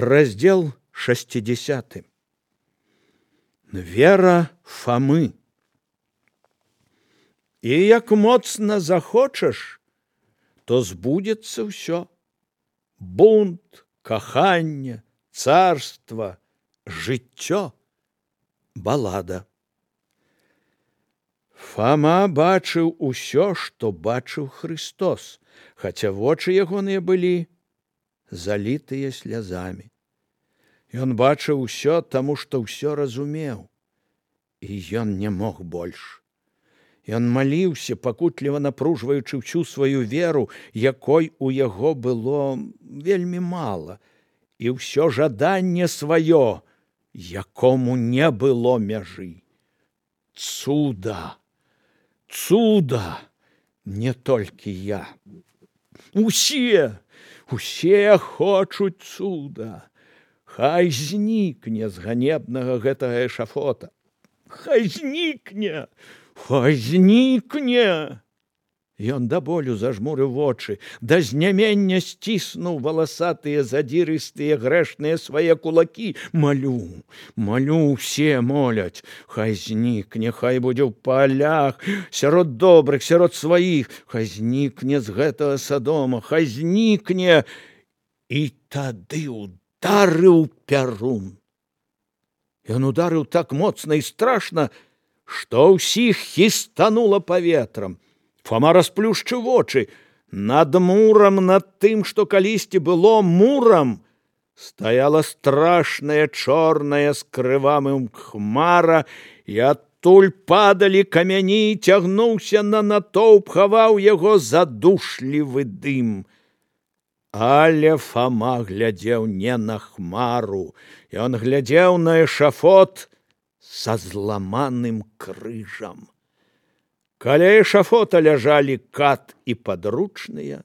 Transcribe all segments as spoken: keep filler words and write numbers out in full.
Раздел шестидесятый. Вера Фомы. І як моцна захочаш, то збудзецца ўсё. Бунт, каханне, царства, жыццё, балада. Фома бачыў усё, што бачыў Христос, хаця вочы ягоныя былі залітыя слязамі. Ён бачыў усё, таму што ўсё разумеў, і ён не мог больш. Ён маліўся, пакутліва напружваючы ўсю сваю веру, якой у яго было вельмі мала, і ўсё жаданне сваё, якому не было мяжы. Цуда, цуда, не толькі я. Усе, усе хочуць цуда. Хай знікне з ганебнага гэтага эшафота. Хай знікне, хай знікне. Ён да болю зажмурыў вочы, да знямення сціснуў валасатыя, задзірыстыя, грэшныя свае кулакі. Малю, малю, усе моляць. Хай знікне, хай будзе ў палях, сярод добрых, сярод сваіх. Хай знікне з гэтага Садома, хай знікне. І тады ударыў Пярун. Ён ударыў так моцна і страшна, што ўсіх хістанула паветрам. Фома расплюшчыў вочы. Над мурам, над тым, што калісьці было мурам, стаяла страшная чорная з крывамым хмара, і адтуль падалі камяні, цягнуўся на натоўп, хаваў яго задушлівы дым. Але Фома глядзеў не на хмару, ён глядзеў на эшафот са зламаным крыжам. Каля эшафота ляжалі кат і падручныя,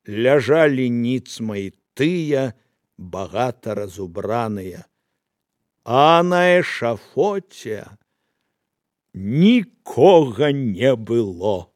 ляжалі ніцма і тыя, багата разубраныя, а на эшафоце нікога не было.